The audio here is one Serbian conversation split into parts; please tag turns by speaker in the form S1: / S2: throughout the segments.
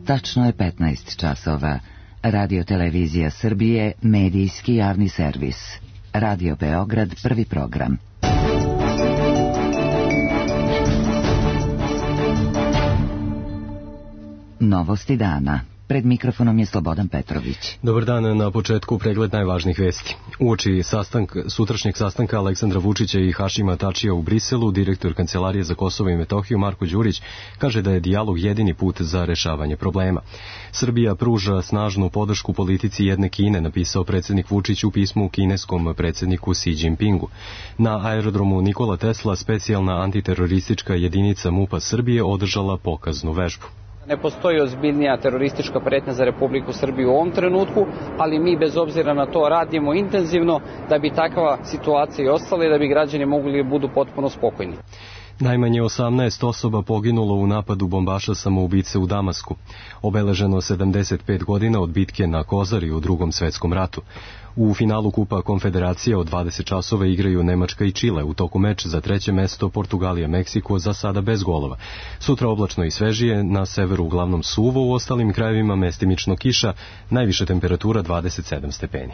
S1: Tačno je 15 časova. Radio Televizija Srbije, medijski javni servis. Radio Beograd, prvi program. Novosti dana. Pred mikrofonom je Slobodan Petrović.
S2: Dobar dan, na početku pregled najvažnijih vesti. Uoči sutrašnjeg sastanka Aleksandra Vučića i Hašima Tačija u Briselu, direktor Kancelarije za Kosovo i Metohiju Marko Đurić kaže da je dijalog jedini put za rešavanje problema. Srbija pruža snažnu podršku politici jedne Kine, napisao predsjednik Vučić u pismu kineskom predsjedniku Xi Jinpingu. Na aerodromu Nikola Tesla specijalna antiteroristička jedinica MUP-a Srbije održala pokaznu vežbu.
S3: Ne postoji ozbiljnija teroristička pretnja za Republiku Srbiju u ovom trenutku, ali mi bez obzira na to radimo intenzivno da bi takva situacija i ostala i da bi građani mogli budu potpuno spokojni.
S2: Najmanje 18 osoba poginulo u napadu bombaša samoubice u Damasku. Obeleženo 75 godina od bitke na Kozari u Drugom svetskom ratu. U finalu Kupa Konfederacija od 20 časova igraju Nemačka i Čile. U toku meč za treće mesto Portugalija-Meksiko, za sada bez golova. Sutra oblačno i svežije, na severu uglavnom suvo, u ostalim krajevima mestimično kiša, najviša temperatura 27 stepeni.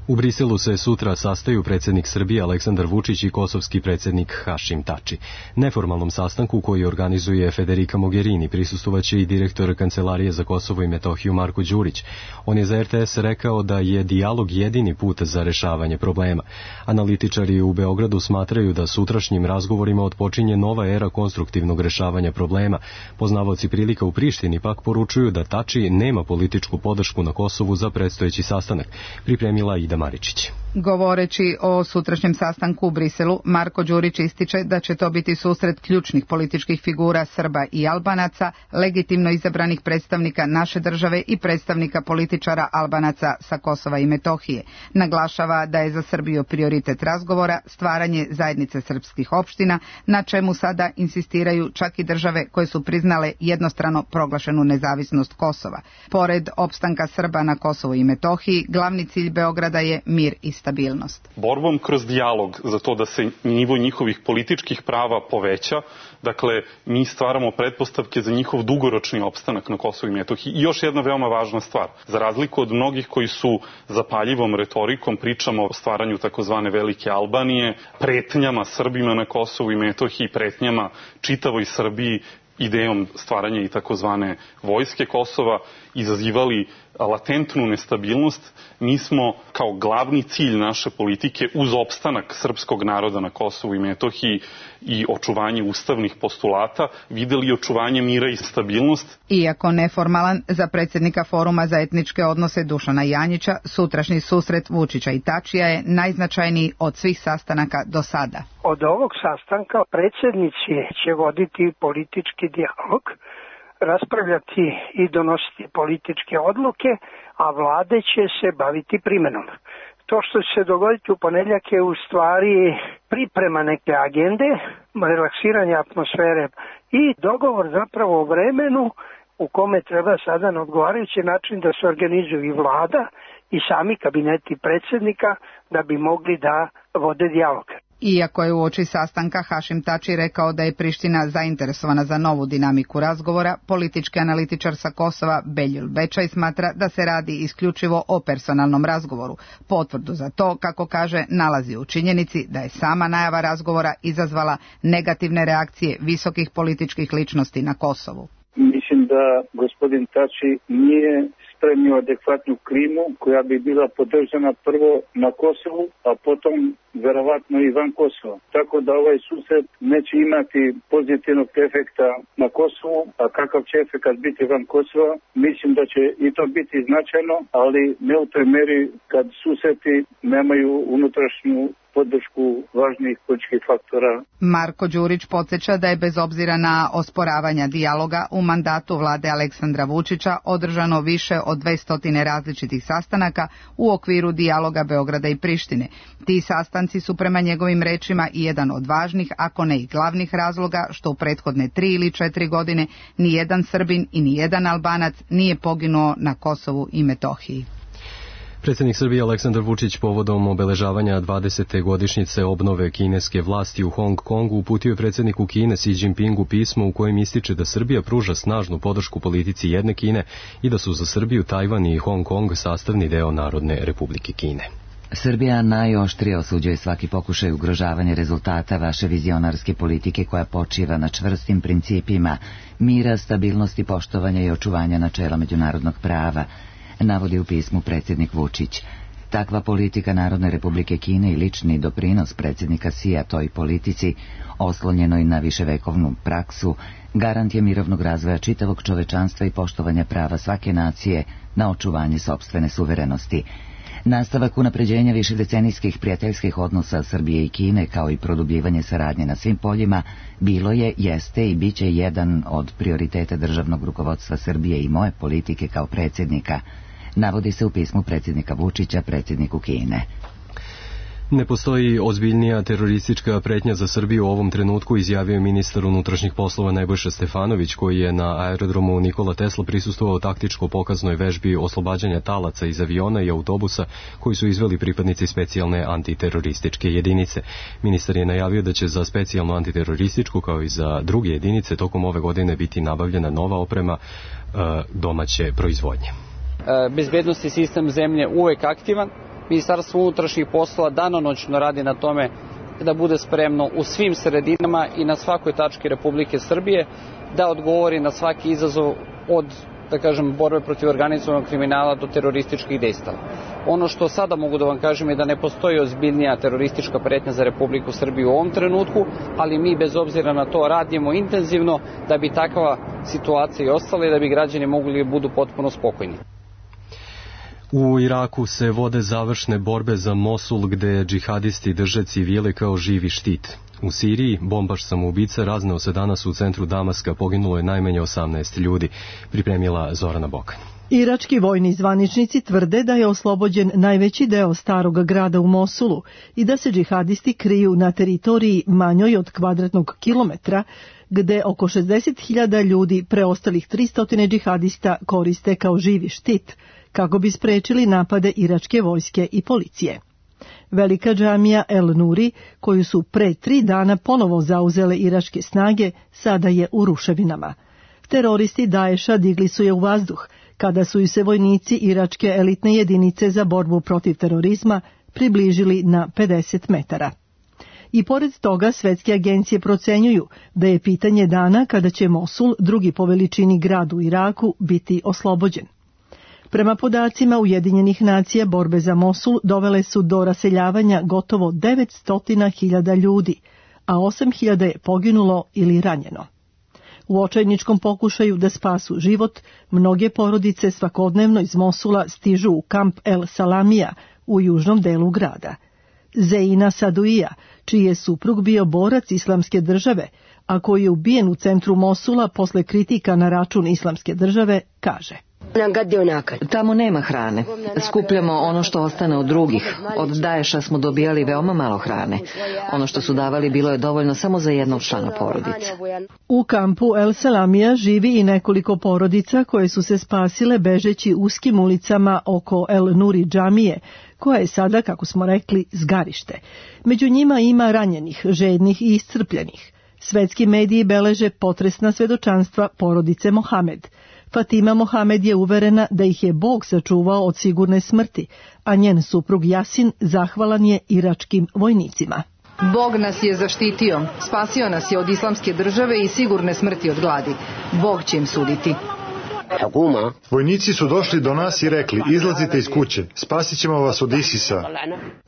S2: U Briselu se sutra sastaju predsjednik Srbije Aleksandar Vučić i kosovski predsjednik Hašim Tači. Neformalnom sastanku koji organizuje Federica Mogherini prisustovaće i direktor Kancelarije za Kosovo i Metohiju Marko Đurić. On je za RTS rekao da je dijalog jedini put za rešavanje problema. Analitičari u Beogradu smatraju da sutrašnjim razgovorima otpočinje nova era konstruktivnog rešavanja problema. Poznavaoci prilika u Prištini pak poručuju da Tači nema političku podršku na Kosovu za predstojeći sastanak. Pripremila Ida Maričić.
S4: Govoreći o sutrašnjem sastanku u Briselu, Marko Đurić ističe da će to biti susret ključnih političkih figura Srba i Albanaca, legitimno izabranih predstavnika naše države i predstavnika političara Albanaca sa Kosova i Metohije. Naglašava da je za Srbiju prioritet razgovora stvaranje zajednice srpskih opština, na čemu sada insistiraju čak i države koje su priznale jednostrano proglašenu nezavisnost Kosova. Pored opstanka Srba na Kosovu i Metohiji, glavni cilj Beograda je mir i stabilnost.
S5: Borbom kroz dijalog za to da se nivo njihovih političkih prava poveća, dakle, mi stvaramo pretpostavke za njihov dugoročni opstanak na Kosovu i Metohiji. I još jedna veoma važna stvar. Za razliku od mnogih koji su zapaljivom retorikom pričamo o stvaranju takozvane Velike Albanije, pretnjama Srbima na Kosovu i Metohiji, pretnjama čitavoj Srbiji, idejom stvaranja i takozvane vojske Kosova, izazivali latentnu nestabilnost. Mi smo kao glavni cilj naše politike uz opstanak srpskog naroda na Kosovu i Metohiji i očuvanje ustavnih postulata videli očuvanje mira i stabilnost.
S4: Iako neformalan, za predsjednika Foruma za etničke odnose Dušana Janjića, sutrašnji susret Vučića i Tačija je najznačajniji od svih sastanaka do sada.
S6: Od ovog sastanka predsjednici će voditi politički dijalog, raspravljati i donositi političke odluke, a vlade će se baviti primenom. To što će se dogoditi u ponedjeljak je u stvari priprema neke agende, relaksiranje atmosfere i dogovor zapravo o vremenu u kome treba sada na odgovarajući način da se organizuju i vlada i sami kabineti predsjednika da bi mogli da vode dijalog.
S4: Iako je uoči sastanka Hašim Tači rekao da je Priština zainteresovana za novu dinamiku razgovora, politički analitičar sa Kosova Beljul Bečaj smatra da se radi isključivo o personalnom razgovoru. Potvrdu za to, kako kaže, nalazi u činjenici da je sama najava razgovora izazvala negativne reakcije visokih političkih ličnosti na Kosovu.
S7: Mislim da gospodin Tači nije spremio adekvatnu klimu koja bi bila podržana prvo na Kosovu, a potom verovatno i van Kosova. Tako da ovaj susret neće imati pozitivnog efekta na Kosovu, a kakav će efekt biti van Kosova, mislim da će i to biti značajno, ali ne u toj meri kad susreti nemaju unutrašnju podršku važnih političkih faktora.
S4: Marko Đurić podsjeća da je bez obzira na osporavanja dijaloga u mandatu vlade Aleksandra Vučića održano više od 200 različitih sastanaka u okviru dijaloga Beograda i Prištine. Ti sastanci su prema njegovim rečima i jedan od važnih, ako ne i glavnih razloga što u prethodne 3 ili 4 godine ni jedan Srbin i ni jedan Albanac nije poginuo na Kosovu i Metohiji.
S2: Predsjednik Srbije Aleksandar Vučić povodom obeležavanja 20. godišnjice obnove kineske vlasti u Hong Kongu uputio je predsjedniku Kine Xi Jinpingu pismo u kojem ističe da Srbija pruža snažnu podršku politici jedne Kine i da su za Srbiju Tajvan i Hong Kong sastavni deo Narodne Republike Kine.
S1: Srbija najoštrije osuđuje svaki pokušaj ugrožavanja rezultata vaše vizionarske politike koja počiva na čvrstim principima mira, stabilnosti, poštovanja i očuvanja načela međunarodnog prava, navodi u pismu predsjednik Vučić. Takva politika Narodne Republike Kine i lični doprinos predsjednika Xija toj politici, oslonjenoj na viševekovnu praksu, garant je mirovnog razvoja čitavog čovečanstva i poštovanja prava svake nacije na očuvanje sopstvene suverenosti. Nastavak unapređenja višedecenijskih prijateljskih odnosa Srbije i Kine, kao i produbljivanje saradnje na svim poljima, bilo je, jeste i bit će jedan od prioriteta državnog rukovodstva Srbije i moje politike kao predsjednika, navodi se u pismu predsjednika Vučića predsjedniku Kine.
S2: Ne postoji ozbiljnija teroristička pretnja za Srbiju u ovom trenutku, izjavio je ministar unutrašnjih poslova Nebojša Stefanović, koji je na aerodromu Nikola Tesla prisustvovao taktičko pokaznoj vežbi oslobađanja talaca iz aviona i autobusa koji su izveli pripadnici specijalne antiterorističke jedinice. Ministar je najavio da će za specijalnu antiterorističku kao i za druge jedinice tokom ove godine biti nabavljena nova oprema domaće proizvodnje.
S3: Bezbednosni sistem zemlje uvek aktivan. Ministarstvo unutrašnjih poslova danonoćno radi na tome da bude spremno u svim sredinama i na svakoj tački Republike Srbije da odgovori na svaki izazov od, da kažem, borbe protiv organizovanog kriminala do terorističkih dejstava. Ono što sada mogu da vam kažem je da ne postoji ozbiljnija teroristička pretnja za Republiku Srbiju u ovom trenutku, ali mi bez obzira na to radimo intenzivno da bi takva situacija i ostala i da bi građani mogli da budu potpuno spokojni.
S2: U Iraku se vode završne borbe za Mosul, gde džihadisti drže civile kao živi štit. U Siriji bombaš samoubica razneo se danas u centru Damaska, poginulo je najmanje 18 ljudi, pripremila Zorana Bokan.
S8: Irački vojni zvaničnici tvrde da je oslobođen najveći deo starog grada u Mosulu i da se džihadisti kriju na teritoriji manjoj od kvadratnog kilometra, gde oko 60.000 ljudi, preostalih 300 džihadista, koriste kao živi štit, kako bi sprečili napade iračke vojske i policije. Velika džamija El Nuri, koju su pre 3 dana ponovo zauzele iračke snage, sada je u ruševinama. Teroristi Daesha digli su je u vazduh, kada su ju se vojnici iračke elitne jedinice za borbu protiv terorizma približili na 50 metara. I pored toga svetske agencije procenjuju da je pitanje dana kada će Mosul, drugi po veličini grad u Iraku, biti oslobođen. Prema podacima Ujedinjenih nacija, borbe za Mosul dovele su do raseljavanja gotovo 900.000 ljudi, a 8.000 je poginulo ili ranjeno. U očajničkom pokušaju da spasu život, mnoge porodice svakodnevno iz Mosula stižu u kamp El Salamija u južnom delu grada. Zeina Saduija, čiji je suprug bio borac Islamske države, a koji je ubijen u centru Mosula posle kritika na račun Islamske države, kaže:
S9: Tamo nema hrane. Skupljamo ono što ostane od drugih. Od Daesha smo dobijali veoma malo hrane. Ono što su davali bilo je dovoljno samo za jednog člana porodice.
S8: U kampu El Salamija živi i nekoliko porodica koje su se spasile bežeći uskim ulicama oko El Nuri džamije, koja je sada, kako smo rekli, zgarište. Među njima ima ranjenih, žednih i iscrpljenih. Svetski mediji beleže potresna svedočanstva porodice Mohamed. Fatima Mohamed je uverena da ih je Bog sačuvao od sigurne smrti, a njen suprug Jasin zahvalan je iračkim vojnicima.
S4: Bog nas je zaštitio, spasio nas je od Islamske države i sigurne smrti od gladi. Bog će im suditi.
S10: Vojnici su došli do nas i rekli: izlazite iz kuće, spasit ćemo vas od Isisa.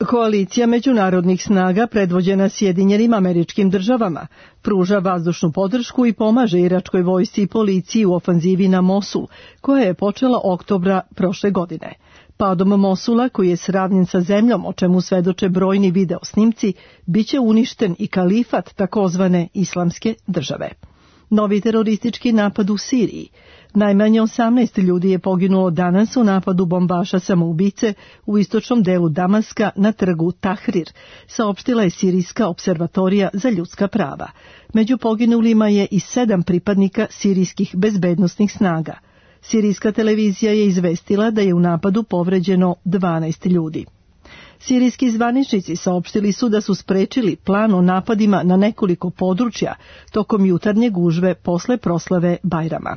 S8: Koalicija međunarodnih snaga predvođena Sjedinjenim Američkim Državama pruža vazdušnu podršku i pomaže iračkoj vojsci i policiji u ofanzivi na Mosul, koja je počela oktobra prošle godine. Padom Mosula, koji je sravnjen sa zemljom, o čemu svedoče brojni video snimci, biće uništen i kalifat takozvane Islamske države. Novi teroristički napad u Siriji. Najmanje 18 ljudi je poginulo danas u napadu bombaša samoubice u istočnom delu Damaska na trgu Tahrir, saopštila je Sirijska observatorija za ljudska prava. Među poginulima je i 7 pripadnika sirijskih bezbednosnih snaga. Sirijska televizija je izvestila da je u napadu povređeno 12 ljudi. Sirijski zvaničnici saopštili su da su sprečili plan o napadima na nekoliko područja tokom jutarnje gužve posle proslave Bajrama.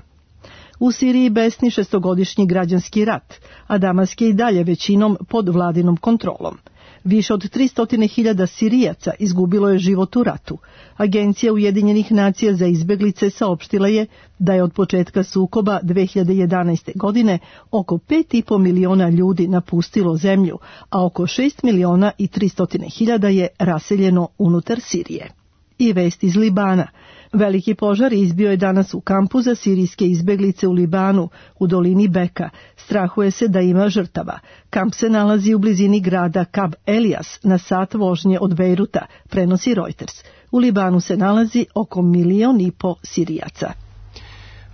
S8: U Siriji besni 6-godišnji građanski rat, a Damask je i dalje većinom pod vladinom kontrolom. Više od 300.000 Sirijaca izgubilo je život u ratu. Agencija Ujedinjenih nacija za izbeglice saopštila je da je od početka sukoba 2011. godine oko 5,5 miliona ljudi napustilo zemlju, a oko 6.300.000 je raseljeno unutar Sirije. I vest iz Libana. Veliki požar izbio je danas u kampu za sirijske izbeglice u Libanu, u dolini Beka. Strahuje se da ima žrtava. Kamp se nalazi u blizini grada Kab Elias, na sat vožnje od Bejruta, prenosi Reuters. U Libanu se nalazi oko 1,5 miliona Sirijaca.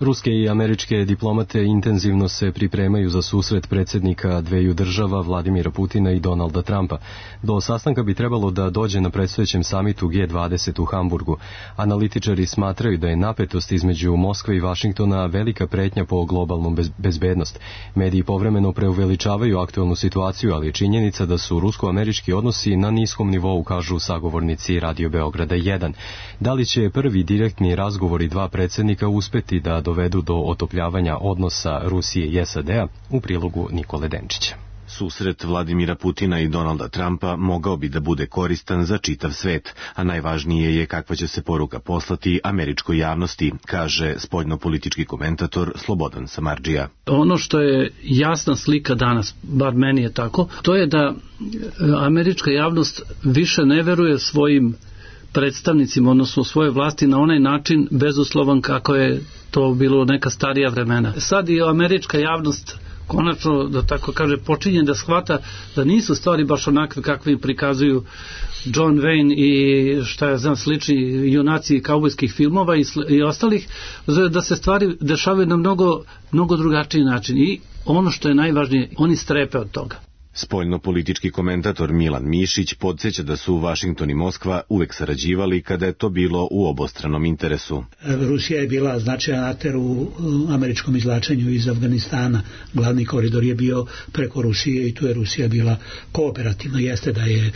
S2: Ruske i američke diplomate intenzivno se pripremaju za susret predsjednika dveju država Vladimira Putina i Donalda Trumpa. Do sastanka bi trebalo da dođe na predstojećem samitu G20 u Hamburgu. Analitičari smatraju da je napetost između Moskve i Vašingtona velika pretnja po globalnom bezbednost. Mediji povremeno preuveličavaju aktualnu situaciju, ali je činjenica da su rusko-američki odnosi na niskom nivou, kažu sagovornici Radio Beograda 1. Da li će prvi direktni razgovori dva predsjednika uspeti da dovedu do otopljavanja odnosa Rusije i SAD-a, u prilogu Nikole Denčića.
S11: Susret Vladimira Putina i Donalda Trumpa mogao bi da bude koristan za čitav svet, a najvažnije je kakva će se poruka poslati američkoj javnosti, kaže spoljnopolitički komentator Slobodan Samardžija.
S12: Ono što je jasna slika danas, bar meni je tako, to je da američka javnost više ne veruje svojim predstavnicima, odnosno svoje vlasti na onaj način bezuslovan kako je to bilo neka starija vremena. Sad i američka javnost konačno, da tako kaže, počinje da shvata da nisu stvari baš onakve kakve im prikazuju John Wayne i slični junaci kaubojskih filmova i ostalih, da se stvari dešavaju na mnogo drugačiji način. I ono što je najvažnije, oni strepe od toga.
S11: Spoljnopolitički komentator Milan Mišić podsjeća da su Vašington i Moskva uvek sarađivali kada je to bilo u obostranom interesu.
S13: Rusija je bila značajan akter u američkom izvlačenju iz Afganistana. Glavni koridor je bio preko Rusije i tu je Rusija bila kooperativna. Jeste da je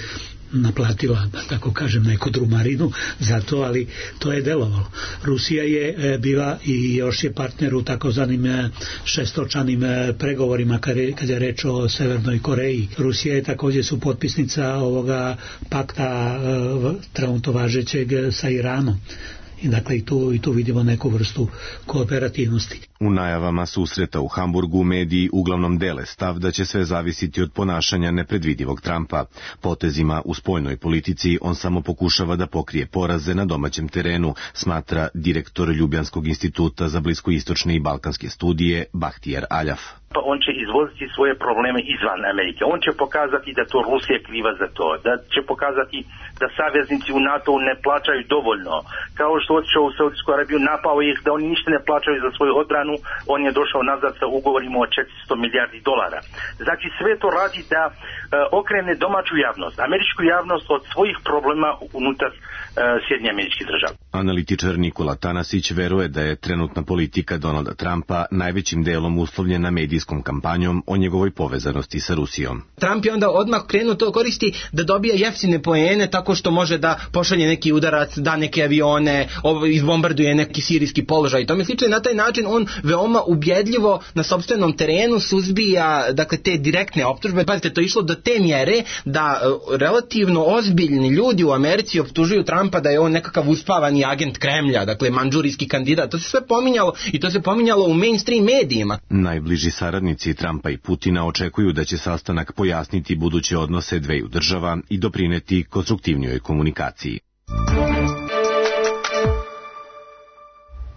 S13: naplatila, da tako kažem, neku drumarinu za to, ali to je delovalo. Rusija je bila i još je partner u takozvanim šestočanim pregovorima kad je reč o Severnoj Koreji. Rusija je također supotpisnica ovoga pakta trenutno važećeg sa Iranom. I dakle i tu vidimo neku vrstu kooperativnosti.
S11: U najavama susreta u Hamburgu mediji uglavnom dele stav da će sve zavisiti od ponašanja nepredvidivog Trumpa. Potezima u spoljnoj politici on samo pokušava da pokrije poraze na domaćem terenu, smatra direktor Ljubljanskog instituta za bliskoistočne i balkanske studije Bahtijar Aljaf.
S14: On će izvoziti svoje probleme izvan Amerike. On će pokazati da to Rusija kriva za to, da će pokazati da saveznici u NATO ne plaćaju dovoljno. Kao što otišao u Saudijsku Arabiju, napao ih da oni ništa ne plaćaju za svoju odbranu, on je došao nazad sa ugovorima o $400 milijardi. Znači sve to radi da okrene domaću javnost, američku javnost od svojih problema unutar Sjedinjenih Američkih Država.
S11: Analitičar Nikola Tanasić veruje da je trenutna politika Donalda Trumpa najvećim delom uslovljena medijskom kampanjom o njegovoj povezanosti sa Rusijom.
S15: Trump je onda odmah krenuo to koristi da dobije jeftine poene tako što može da pošalje neki udarac, da neke avione, izbombarduje neki sirijski položaj i tome slično. Na taj način on veoma ubjedljivo na sopstvenom terenu suzbija te direktne optužbe. Pazite, to je išlo do te mjere da relativno ozbiljni ljudi u Americi optužuju Trumpa da je on nekakav uspavani agent Kremlja, mandžurijski kandidat. To se sve pominjalo i to se pominjalo u mainstream medijima.
S11: Najbliži saradnici Trumpa i Putina očekuju da će sastanak pojasniti buduće odnose dveju država i doprineti konstruktivnijoj komunikaciji.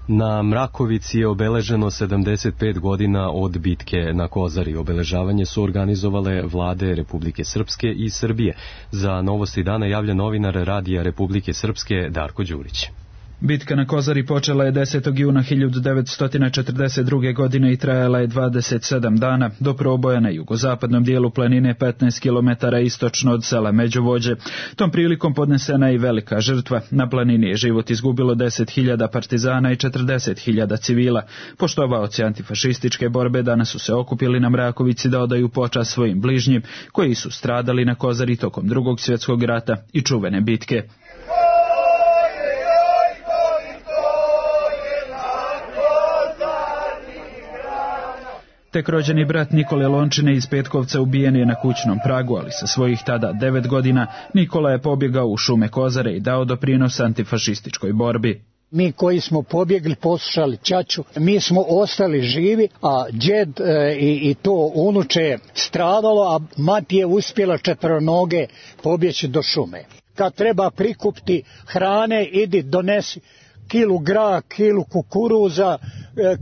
S2: Na Mrakovici je obeleženo 75 godina od bitke na Kozari. Obeležavanje su organizovale vlade Republike Srpske i Srbije. Za Novosti dana javlja novinar Radija Republike Srpske Darko Đurić.
S16: Bitka na Kozari počela je 10. juna 1942. godine i trajala je 27 dana do proboja na jugozapadnom dijelu planine 15 km istočno od sela Međuvođe. Tom prilikom podnesena je i velika žrtva. Na planini je život izgubilo 10.000 partizana i 40.000 civila. Poštovaoci antifašističke borbe danas su se okupili na Mrakovici da odaju počast svojim bližnjim koji su stradali na Kozari tokom Drugog svjetskog rata i čuvene bitke. Tek rođeni brat Nikole Lončine iz Petkovca ubijen je na kućnom pragu, ali sa svojih tada 9 godina Nikola je pobjegao u šume Kozare i dao doprinos antifašističkoj borbi.
S17: Mi koji smo pobjegli, poslušali ćaću, mi smo ostali živi, a djed i to unuče stradalo, a mati je uspjela četvronoge pobjeći do šume. Kad treba prikupiti hrane, idi donesi kilu graha, kilu kukuruza,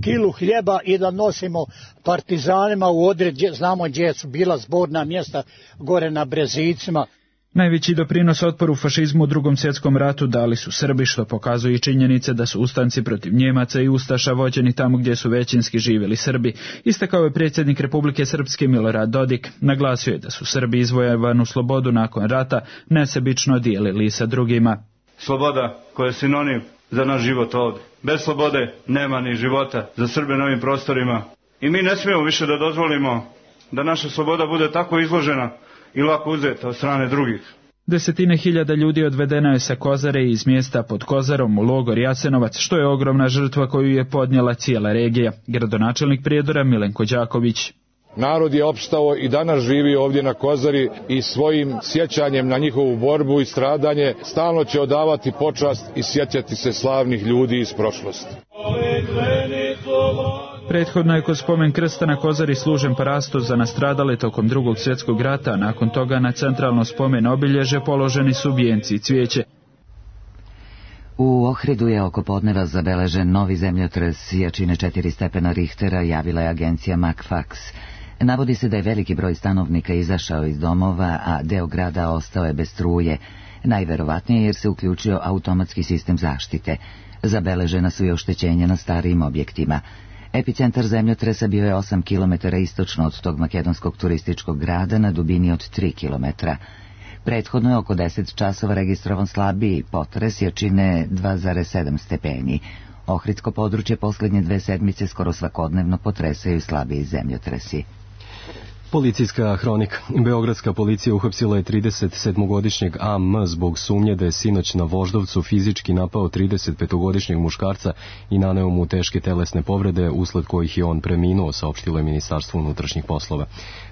S17: kilu hljeba i da nosimo partizanima u odred, znamo gdje su bila zborna mjesta gore na Brezicima.
S16: Najveći doprinos otporu fašizmu u Drugom svjetskom ratu dali su Srbi, što pokazuje i činjenice da su ustanci protiv Njemaca i ustaša vođeni tamo gdje su većinski živjeli Srbi. Istakao je predsjednik Republike Srpske Milorad Dodik. Naglasio je da su Srbi izvojevanu slobodu nakon rata nesebično dijelili sa drugima.
S18: Sloboda koja je sinonim za naš život ovdje. Bez slobode nema ni života za Srbe na ovim prostorima. I mi ne smijemo više da dozvolimo da naša sloboda bude tako izložena i lako uzeta od strane drugih.
S16: Desetine hiljada ljudi odvedeno je sa Kozare i iz mjesta pod Kozarom u logor Jasenovac, što je ogromna žrtva koju je podnijela cijela regija. Gradonačelnik Prijedora Milenko Đaković.
S19: Narod je opstao i danas živi ovdje na Kozari i svojim sjećanjem na njihovu borbu i stradanje stalno će odavati počast i sjećati se slavnih ljudi iz prošlosti.
S16: Prethodno je kod spomen krsta na Kozari služen parasto za nastradale tokom Drugog svjetskog rata, a nakon toga na centralno spomen obilježe položeni su vijenci i cvijeće.
S1: U Ohridu je oko podneva zabeležen novi zemljotres jačine 4 stepena Richtera, javila je agencija MacFax. Navodi se da je veliki broj stanovnika izašao iz domova, a deo grada ostao je bez struje. Najverovatnije jer se uključio automatski sistem zaštite. Zabeležena su i oštećenja na starijim objektima. Epicentar zemljotresa bio je 8 km istočno od tog makedonskog turističkog grada na dubini od 3 km. Prethodno je oko 10 časova registrovan slabiji potres jačine 2,7 stepeni. Ohridsko područje posljednje 2 sedmice skoro svakodnevno potresaju slabiji zemljotresi.
S2: Policijska hronika. Beogradska policija uhapsila je 37-godišnjeg AM zbog sumnje da je sinoć na Voždovcu fizički napao 35-godišnjeg muškarca i naneo mu teške telesne povrede, usled kojih je on preminuo, saopštilo je Ministarstvo unutrašnjih poslova.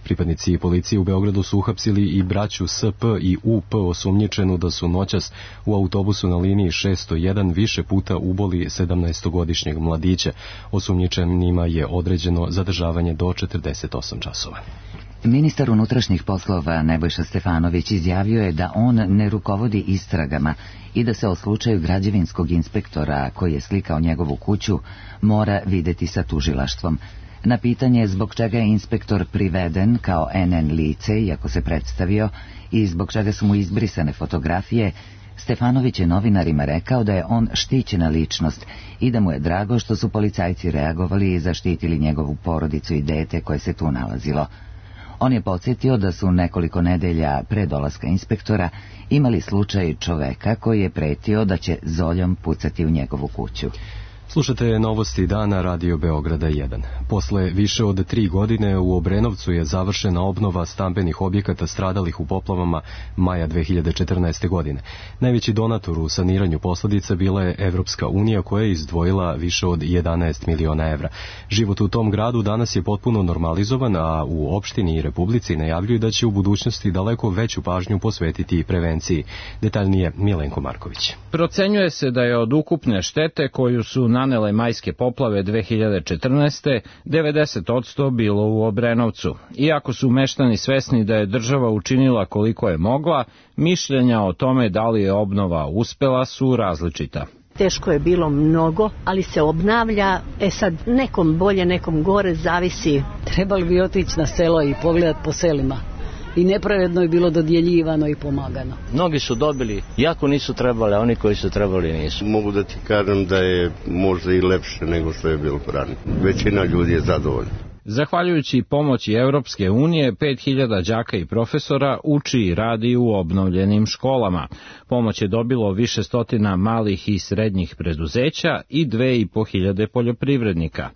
S2: Pripadnici policije u Beogradu su uhapsili i braću SP i UP osumnjičenu da su noćas u autobusu na liniji 601 više puta uboli 17-godišnjeg mladića. Osumnjičenima je određeno zadržavanje do 48 časova.
S1: Ministar unutrašnjih poslova Nebojša Stefanović izjavio je da on ne rukovodi istragama i da se o slučaju građevinskog inspektora koji je slikao njegovu kuću mora videti sa tužilaštvom. Na pitanje zbog čega je inspektor priveden kao NN lice, iako se predstavio, i zbog čega su mu izbrisane fotografije, Stefanović je novinarima rekao da je on štićena ličnost i da mu je drago što su policajci reagovali i zaštitili njegovu porodicu i dete koje se tu nalazilo. On je podsjetio da su nekoliko nedelja pre dolaska inspektora imali slučaj čoveka koji je pretio da će zoljom pucati u njegovu kuću.
S2: Slušate novosti dana Radio Beograda 1. Posle više od 3 godine u Obrenovcu je završena obnova stambenih objekata stradalih u poplavama maja 2014. godine. Najveći donator u saniranju posljedica bila je Evropska unija koja je izdvojila više od 11 miliona evra. Život u tom gradu danas je potpuno normalizovan, a u opštini i Republici najavljuju da će u budućnosti daleko veću pažnju posvetiti prevenciji. Detaljnije Milenko Marković.
S20: Procenjuje se da je od ukupne štete koju su nanele majske poplave 2014. 90% bilo u Obrenovcu. Iako su meštani svesni da je država učinila koliko je mogla, mišljenja o tome da li je obnova uspela su različita.
S21: Teško je bilo mnogo, ali se obnavlja, sad nekom bolje, nekom gore, zavisi.
S22: Trebali bi otići na selo i pogledati po selima
S21: i nepravedno je bilo dodjeljivano i pomagano.
S5: Mnogi su dobili, iako nisu trebali, a oni koji su trebali nisu.
S22: Mogu da ti kažem da je možda i lepše nego što je bilo ranije. Većina ljudi je zadovoljna.
S20: Zahvaljujući pomoći Evropske unije, 5000 đaka i profesora uči i radi u obnovljenim školama. Pomoć je dobilo više stotina malih i srednjih preduzeća i 2500 poljoprivrednika.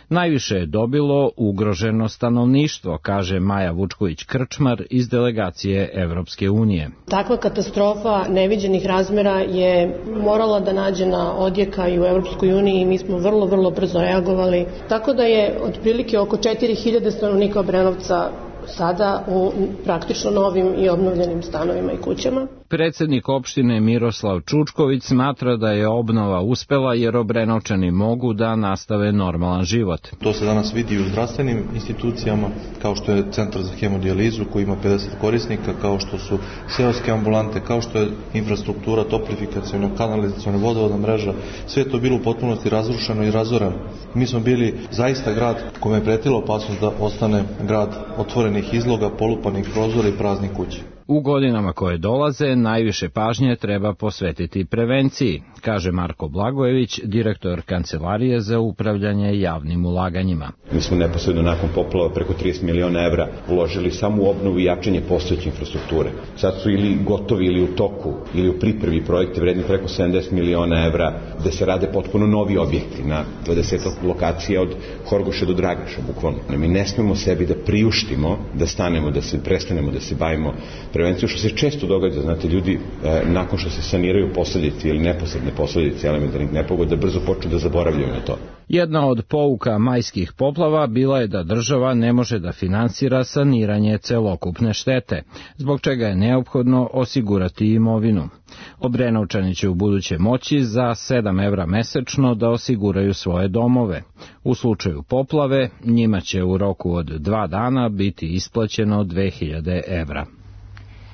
S20: Najviše je dobilo ugroženo stanovništvo, kaže Maja Vučković-Krčmar iz delegacije Evropske unije.
S23: Takva katastrofa neviđenih razmera je morala da nađe na odjeka i u Evropskoj uniji i mi smo vrlo brzo reagovali. Tako da je otprilike oko 4000 stanovnika Obrenovca sada u praktično novim i obnovljenim stanovima i kućama.
S20: Predsednik opštine Miroslav Čučković smatra da je obnova uspela jer Obrenovčani mogu da nastave normalan život.
S24: To se danas vidi u zdravstvenim institucijama, kao što je centar za hemodijalizu koji ima 50 korisnika, kao što su seoske ambulante, kao što je infrastruktura, toplifikaciona, kanalizaciona, vodovodna mreža. Sve je to bilo u potpunosti razrušeno i razoreno. Mi smo bili zaista grad kome je pretila opasnost da ostane grad otvorenih izloga, polupanih prozora i praznih kuća.
S20: U godinama koje dolaze najviše pažnje treba posvetiti prevenciji, kaže Marko Blagojević, direktor Kancelarije za upravljanje javnim ulaganjima.
S25: Mi smo neposredno nakon poplava preko 30 miliona evra uložili samo u obnovu i jačanje postojeće infrastrukture. Sad su ili gotovi ili u toku ili u pripremi projekte vredni preko 70 miliona evra gde se rade potpuno novi objekti na 20 lokacija od Horgoša do Dragaša, bukvalno. Mi ne smemo sebi da priuštimo, da stanemo, da se prestanemo, da se bavimo prevenciju, što se često događa, znate, ljudi nakon što se saniraju posljedice ili neposredne posljedice elementarnih nepogoda brzo počnu da zaboravljaju na to.
S20: Jedna od pouka majskih poplava bila je da država ne može da finansira saniranje celokupne štete, zbog čega je neophodno osigurati imovinu. Obrenovčani će u buduće moći za 7 evra mesečno da osiguraju svoje domove. U slučaju poplave njima će u roku od 2 dana biti isplaćeno 2000 evra.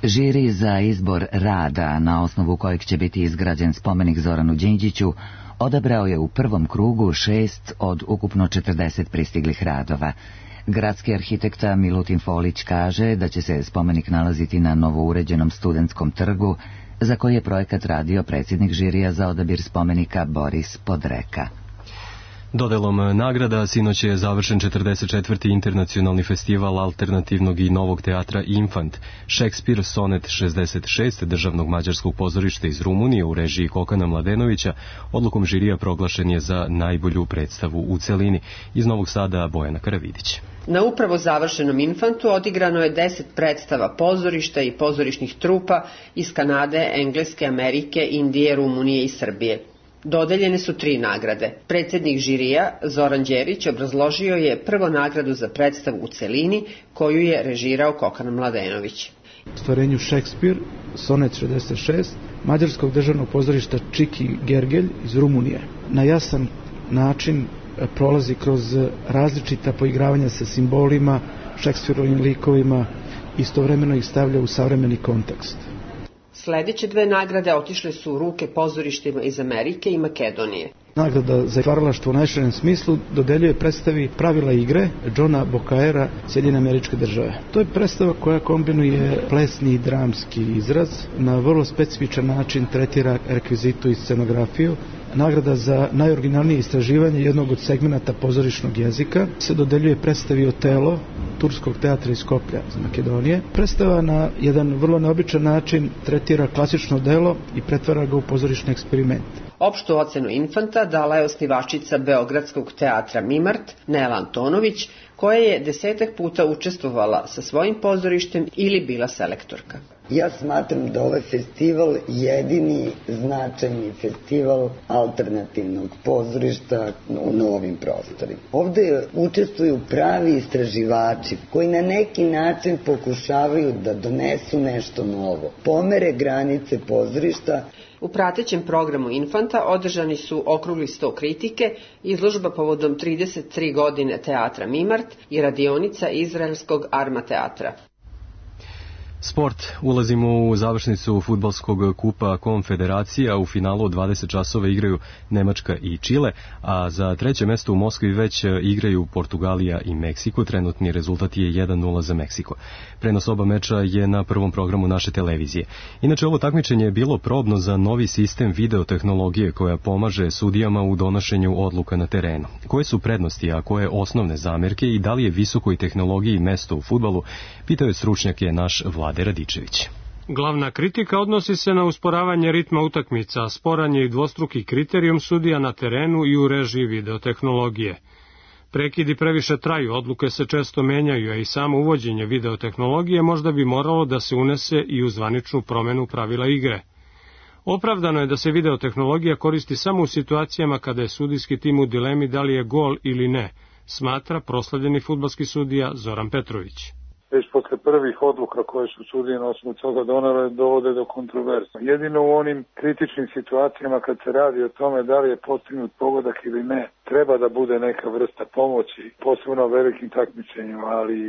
S1: Žiri za izbor rada, na osnovu kojeg će biti izgrađen spomenik Zoranu Đinđiću, odabrao je u prvom krugu 6 od ukupno 40 pristiglih radova. Gradski arhitekta Milutin Folić kaže da će se spomenik nalaziti na novouređenom Studentskom trgu, za koji je projekat radio predsjednik žirija za odabir spomenika Boris Podreka.
S2: Dodelom nagrada sinoć je završen 44. internacionalni festival alternativnog i novog teatra Infant. Šekspir Sonet 66 državnog mađarskog pozorišta iz Rumunije u režiji Kokana Mladenovića odlukom žirija proglašen je za najbolju predstavu u celini. Iz Novog Sada Bojana Karavidić.
S26: Na upravo završenom Infantu odigrano je 10 predstava pozorišta i pozorišnih trupa iz Kanade, Engleske, Amerike, Indije, Rumunije i Srbije. Dodeljene su 3 nagrade. Predsjednik žirija, Zoran Đerić, obrazložio je prvo nagradu za predstavu u celini, koju je režirao Kokan Mladenović.
S27: Stvarenju Šekspir, Sonet 66, mađarskog državnog pozorišta Čiki Gergelj iz Rumunije. Na jasan način prolazi kroz različita poigravanja sa simbolima, Šekspirovim likovima, istovremeno ih stavlja u savremeni kontekst.
S26: Sljedeće 2 nagrade otišle su u ruke pozorištima iz Amerike i Makedonije.
S27: Nagrada za stvaralaštvo u najširem smislu dodeljuje predstavi Pravila igre Johna Bokaera, Sjedinjene Američke Države. To je predstava koja kombinuje plesni i dramski izraz, na vrlo specifičan način tretira rekvizitu i scenografiju. Nagrada za najoriginalnije istraživanje jednog od segmenata pozorišnog jezika se dodeljuje predstavi Otelo, Turskog teatra iz Skoplja iz Makedonije. Predstava na jedan vrlo neobičan način tretira klasično delo i pretvara ga u pozorišni eksperiment.
S26: Opštu ocenu Infanta dala je osnivačica Beogradskog teatra Mimart, Nela Antonović, koja je 10 puta učestvovala sa svojim pozorištem ili bila selektorka.
S28: Ja smatram da ovaj festival jedini značajni festival alternativnog pozorišta u novim prostorima. Ovde učestvuju pravi istraživači koji na neki način pokušavaju da donesu nešto novo, pomere granice pozorišta.
S26: U pratećem programu Infanta održani su okrugli 100 kritike, izložba povodom 33 godine teatra Mimart i radionica izraelskog Arma teatra.
S2: Sport. Ulazimo u završnicu fudbalskog kupa Konfederacija. U finalu od 20 časova igraju Nemačka i Čile, a za treće mesto u Moskvi već igraju Portugalija i Meksiko. Trenutni rezultat je 1-0 za Meksiko. Prenos oba meča je na prvom programu naše televizije. Inače, ovo takmičenje je bilo probno za novi sistem videotehnologije koja pomaže sudijama u donošenju odluka na terenu. Koje su prednosti, a koje osnovne zamerke i da li je visokoj tehnologiji mesto u fudbalu, pitao je stručnjake naš Vlade Radičević.
S3: Glavna kritika odnosi se na usporavanje ritma utakmica, sporan je i dvostruki kriterijum sudija na terenu i u režiji videotehnologije. Prekidi previše traju, odluke se često menjaju, a i samo uvođenje videotehnologije možda bi moralo da se unese i u zvaničnu promenu pravila igre. Opravdano je da se videotehnologija koristi samo u situacijama kada je sudijski tim u dilemi da li je gol ili ne, smatra proslavljeni fudbalski sudija Zoran Petrović.
S4: Već posle prvih odluka koje su sudije na osnovu toga donele dovode do kontroverza. Jedino u onim kritičnim situacijama kad se radi o tome da li je postignut pogodak ili ne, treba da bude neka vrsta pomoći, posebno velikim takmičenjima, ali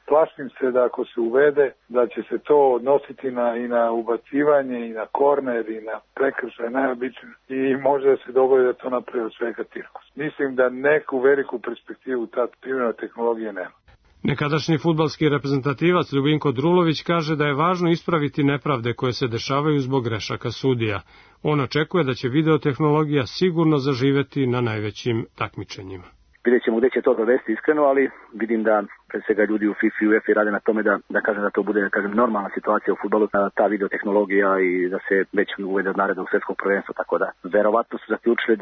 S4: plašim se da ako se uvede, da će se to odnositi i na ubacivanje, i na korner, i na prekršaj najobičnije i može da se dogodi da to napravi od svega cirkus. Mislim da neku veliku perspektivu ta primjena tehnologije nema.
S3: Nekadašnji fudbalski reprezentativac Ljubinko Drulović kaže da je važno ispraviti nepravde koje se dešavaju zbog grešaka sudija. On očekuje da će videotehnologija sigurno zaživeti na najvećim takmičenjima.
S6: Vidjet ćemo gde će to dovesti iskreno, ali vidim da pre svega ljudi u FIFA i UEFA rade na tome da kažem da to bude normalna situacija u fudbalu, ta videotehnologija i da se već uvede od narednog svetskog prvenstva, tako da verovatno su zaključili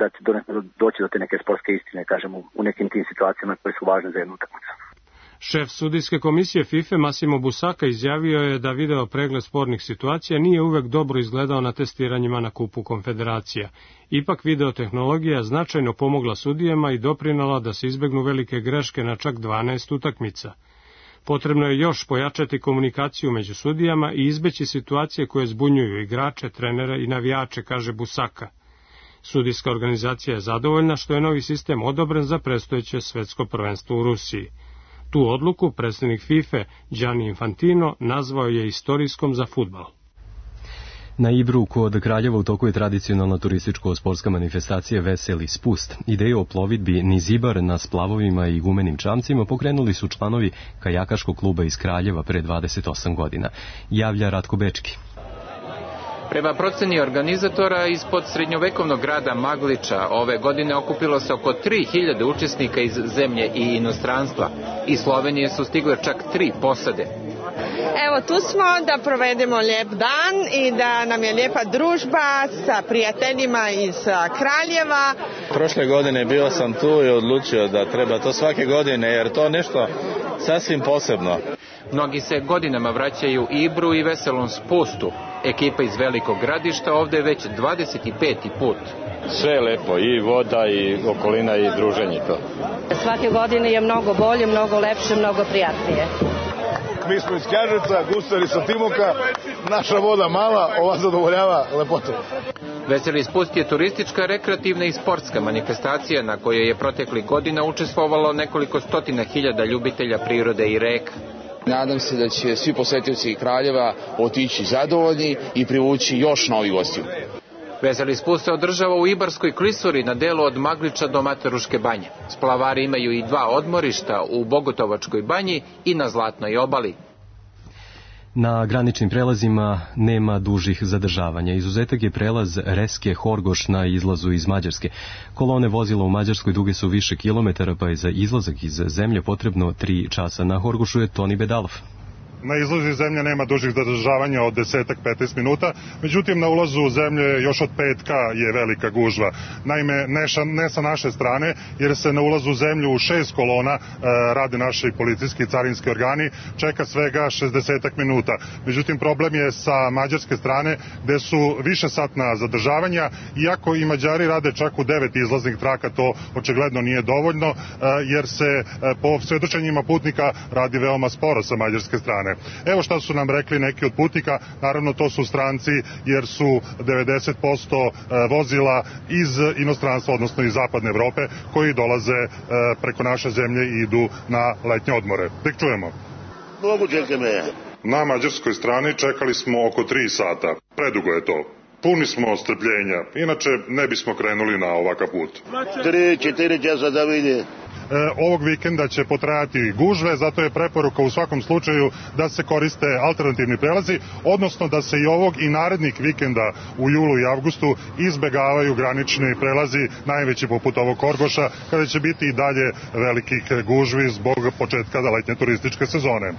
S6: da će doći do te neke sportske istine, kažem, u nekim tim situacijama koje su važne za jednu utakmicu.
S3: Šef sudijske komisije FIFA Massimo Busaka izjavio je da video pregled spornih situacija nije uvek dobro izgledao na testiranjima na kupu Konfederacija. Ipak videotehnologija značajno pomogla sudijama i doprinala da se izbegnu velike greške na čak 12 utakmica. Potrebno je još pojačati komunikaciju među sudijama i izbeći situacije koje zbunjuju igrače, trenere i navijače, kaže Busaka. Sudijska organizacija je zadovoljna što je novi sistem odobren za predstojeće svetsko prvenstvo u Rusiji. Tu odluku predsjednik FIFA Gianni Infantino nazvao je istorijskom za fudbal.
S2: Na Ibru kod Kraljeva u toku je tradicionalna turističko-sportska manifestacija Veseli spust. Ideju o plovidbi niz Ibar na splavovima i gumenim čamcima pokrenuli su članovi kajakaškog kluba iz Kraljeva pre 28 godina. Javlja Ratko Bečki.
S7: Prema proceni organizatora, ispod srednjovekovnog grada Magliča ove godine okupilo se oko 3000 učesnika iz zemlje i inostranstva. Iz Slovenije su stigle čak 3 posade.
S8: Evo, tu smo da provedemo lijep dan i da nam je lijepa družba sa prijateljima iz Kraljeva.
S9: Prošle godine bio sam tu i odlučio da treba to svake godine jer to nešto sasvim posebno.
S7: Mnogi se godinama vraćaju Ibru i Veselom spustu. Ekipa iz Velikog Gradišta ovde je već 25. put.
S9: Sve je lepo, i voda, i okolina, i druženje to.
S21: Svake godine je mnogo bolje, mnogo lepše, mnogo prijatnije.
S10: Mi smo iz Knjaževca, gustari sa Timoka, naša voda mala, ova zadovoljava lepotu.
S7: Veseli spust je turistička, rekreativna i sportska manifestacija na kojoj je proteklih godina učestvovalo nekoliko stotina hiljada ljubitelja prirode i reka.
S12: Nadam se da će svi posetioci Kraljeva otići zadovoljni i privući još novih gostiju.
S7: Veseli spust se održava u Ibarskoj klisuri na delu od Magliča do Materuške banje. Splavari imaju i 2 odmorišta u Bogotovačkoj banji i na Zlatnoj obali.
S2: Na graničnim prelazima nema dužih zadržavanja. Izuzetak je prelaz Reske Horgoš na izlazu iz Mađarske. Kolone vozila u Mađarskoj duge su više kilometara, pa je za izlazak iz zemlje potrebno 3 časa. Na Horgošu je Toni Bedalov.
S29: Na izlazu iz zemlje nema dužih zadržavanja od 10-15 minuta, međutim na ulazu u zemlje još od petka je velika gužva. Naime, ne sa naše strane, jer se na ulazu u zemlju u 6 kolona rade naši policijski i carinski organi, čeka svega 60 minuta. Međutim, problem je sa mađarske strane, gde su više satna zadržavanja, iako i Mađari rade čak u 9 izlaznih traka, to očigledno nije dovoljno, jer se po svedočenjima putnika radi veoma sporo sa mađarske strane. Evo šta su nam rekli neki od putnika, naravno to su stranci jer su 90% vozila iz inostranstva, odnosno iz zapadne Evrope, koji dolaze preko naše zemlje i idu na letnje odmore. Tek čujemo.
S30: Много чекаме.
S29: Na mađarskoj strani čekali smo oko 3 sata. Predugo je to. Puni smo strpljenja, inače ne bismo krenuli na ovakav put.
S10: 3-4 časa da vidi.
S29: Ovog vikenda će potrajati gužve, zato je preporuka u svakom slučaju da se koriste alternativni prelazi, odnosno da se i ovog i narednih vikenda u julu i avgustu izbegavaju granični prelazi, najveći poput ovog Horgoša, kada će biti i dalje velikih gužvi zbog početka letnje turističke sezone.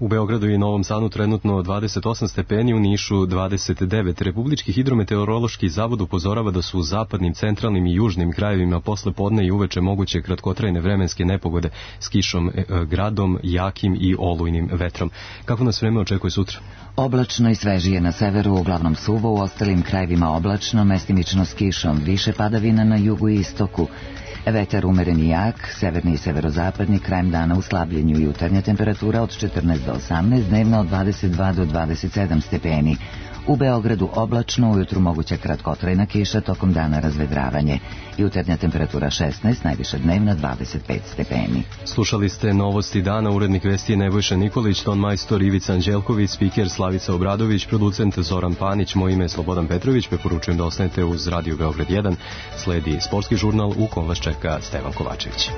S2: U Beogradu i Novom Sadu trenutno 28 stepeni, u Nišu 29. Republički hidrometeorološki zavod upozorava da su u zapadnim, centralnim i južnim krajevima posle podne i uveče moguće kratkotrajne vremenske nepogode s kišom, gradom, jakim i olujnim vetrom. Kako nas vreme očekuje sutra?
S1: Oblačno i svežije na severu, uglavnom suvo, u ostalim krajevima oblačno, mestimično s kišom, više padavina na jugu i istoku. Vetar umeren i jak, severni i severozapadni, krajem dana u slabljenju, jutarnja temperatura od 14 do 18, dnevna od 22 do 27 stepeni. U Beogradu oblačno, ujutru moguća kratkotrajna kiša, tokom dana razvedravanje. Jutarnja temperatura 16, najviša dnevna 25 stepeni.
S2: Slušali ste novosti dana, urednik vesti Nebojša Nikolić, ton majstor Ivica Anđelković, spiker Slavica Obradović, producent Zoran Panić, moje ime je Slobodan Petrović, preporučujem da ostanete uz Radio Beograd 1. Sledi sportski žurnal u kom vas čeka Stevan Kovačević.